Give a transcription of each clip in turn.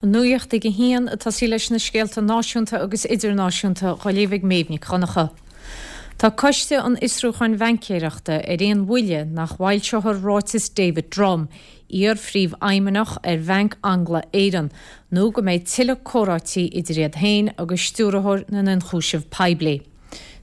An Nuacht ag a haon, ag tosaí leis na scéalta náisiúnta agus idirnáisiúnta dhá léamh ag Méabh Nic Dhonncha. Tá Coiste an Fhiosrúcháin Bhaincéireachta ar aon bhuille nach bhfoilseofar ráiteas David Drumm, iar-phríomhfheidhmeannach ar Bhanc Angla-Éireann, nó go mbeidh tuilleadh comhráití idir iad féin agus Stiúrthóir na nIonchúiseamh Poiblí.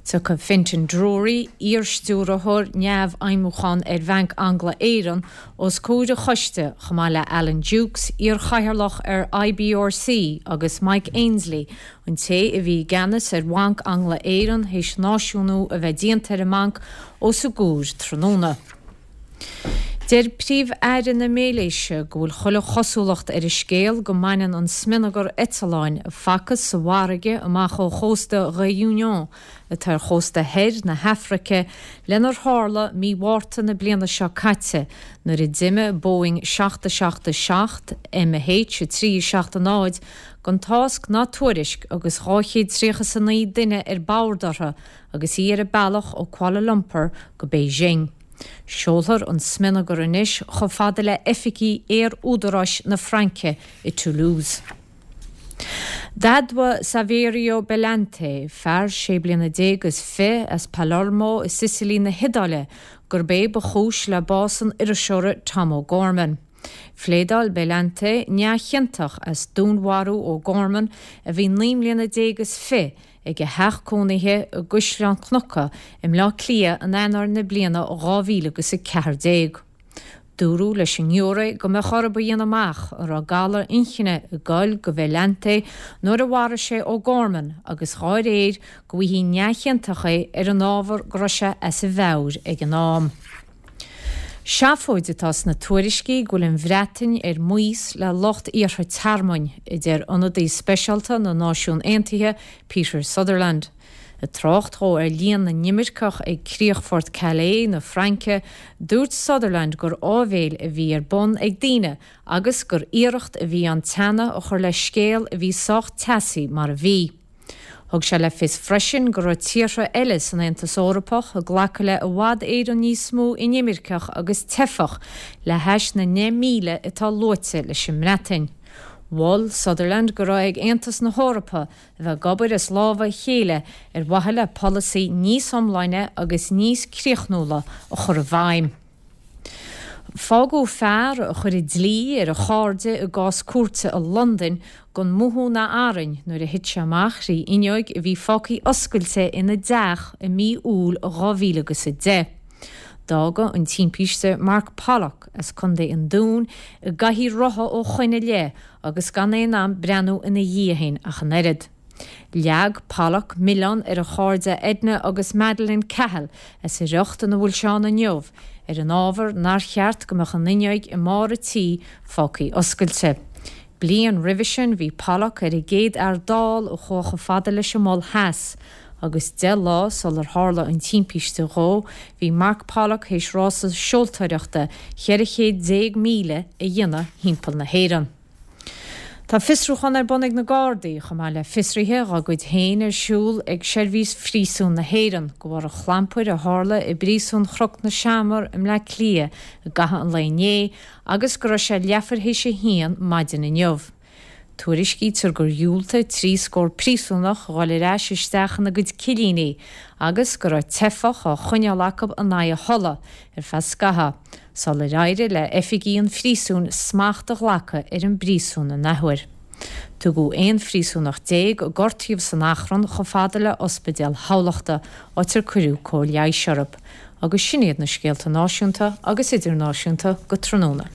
Tiocfaidh Fintan Drury, iar-stiúrthóir neamhfheidhmiúcháin ar Bhanc Angla-Éireann, os comhair an choiste, chomh maith le Alan Dukes, iar-chathaoirleach ar IBRC, agus Mike Ainsley, an té a bhí i gceannas ar Bhanc Angla-Éireann théis náisiúnú a bheith déanta ar an mbanc, os a gcomhair tráthnóna. Deir Príomh-Aire na Malaeisia go bhfuil chuile chosúlacht ar an scéal go mbaineann an smionagar eitleáin a facthas sa bhfarraige amach ó chósta Réunion, atá ar chósta thoir na hAfraice, lenar tharla mí Mhárta na bliana seo caite nuair a d'imigh Boeing 777 MH 370 gan tásc ná tuairisc agus 239 duine ar bord orthu agus í ar a bealach ó Kuala Lumpur go Beijing. Seolfar an smionagar anois chomh fada le oifigí Aer-Údaráis na Fraince i Toulouse. D'admhaigh Saverio Bellante, fear sé bliana déag is fi as Palermo i Sicily na hIodáile, gurb é ba chúis le bás an iriseora Tom O'Gorman. Phléadáil Bellante neamhchiontach as dúnmharú O'Gorman, a bhí 19 mbliana is fi, ag a theach cónaithe i gCaisleán Cnuca i mBleá Cliath in Eanáir na bliana 2014. Dúradh leis an ngiúiré go mbeadh orthu a dhéanamh amach an raibh galar inchinne ag goil go Bellante nuair a mharaigh sé O'Gorman agus dhá réir go bhfaighfí neamhchiontach é ar an ábhar go raibh sé as a mheabhair ag an am. Seafóid atá sna tuairiscí go bhfuil an Bhreatain ar maos le lucht iarrtha tearmainn, a deir ionadaí speisialta na Náisiún Aontaithe, Peter Sutherland. Ag trácht dhó ar líon na n-imirceach ag críochfort Calais na Fraince, dúirt Sutherland gur áibhéil a bhí ar bun ag daoine agus gur iarracht a bhí ann teannadh a chur le scéal a bhí sách teasaí mar a bhí. Thug sé le fios freisin go raibh tíortha eile san Aontas Eorpach ag glacadh le i bhfad Éireann níos mó inimirceach agus teifeach le hais na 10,000 atá luaite leis an mBreatain. Mhol Sutherland go raibh ag Aontas na hEorpa a bheith ag obair as lámha a chéile ar mhaithe le polasaí níos iomláine agus níos críochnúla a chur i bhfeidhm. Fágadh fear a chuir an dlí ar a chairde i gcás cúirte i Londain gan mothú ná arraing nuair a thit sé amach thrí fhuinneoig a bhí fágtha oscailte ina dteach i mí Iúil 2010. D'fhága an timpiste Mark Pollock as Contae an Dúin i gcathaoir rotha ó shoin i leith agus gan é in ann breathnú ina dhiaidh féin ach an oiread. Leag Pollock milleán ar a chairde Edna agus Madeleine Cahill as an riocht ina bhfuil sé ann inniu, ar an ábhar nár cheart go mbeadh an fhuinneoig i mbarr a tí fágtha oscailte. Bliain roimhe sin bhí Pollock ar an gcéad fhear dall a chuaigh chomh fada leis an Mol Theas, agus 10 lá sular tharla an timpiste dhó bhí Mark Pollock théis rása seoltóireachta 14 chéad míle a dhéanamh thimpeall na hÉireann. Tá fiosrúchán ar bun ag na Gardaí, chomh maith le fiosruithe dhá gcuid féin ar siúl ag Seirbhís Phríosúin na hÉireann, de bharr an chlampair a tharla i bPríosún Chnoc na Seamar i mBleá Cliath i gcaitheamh an lae inné agus go raibh sé leathuair théis a haon maidin inniu. Tuairiscítear gur dhiúltaigh 3 scór príosúnach a dhul ar ais isteach ina gcuid cillíní agus go raibh teifeach á choinneáil acu in aghaidh a thola ar feadh scathaimh. sular éirigh le oifigigh an phríosúin smacht a ghlacadh ar an bpríosún an athuair. Tugadh 11 phríosúnach a gortaíodh san achrann chomh fada le Ospidéal Thamhlachta, áit ar cuireadh cóir leighis orthu. Agus sin iad na scéalta náisiúnta agus idirnáisiúnta go tráthnóna.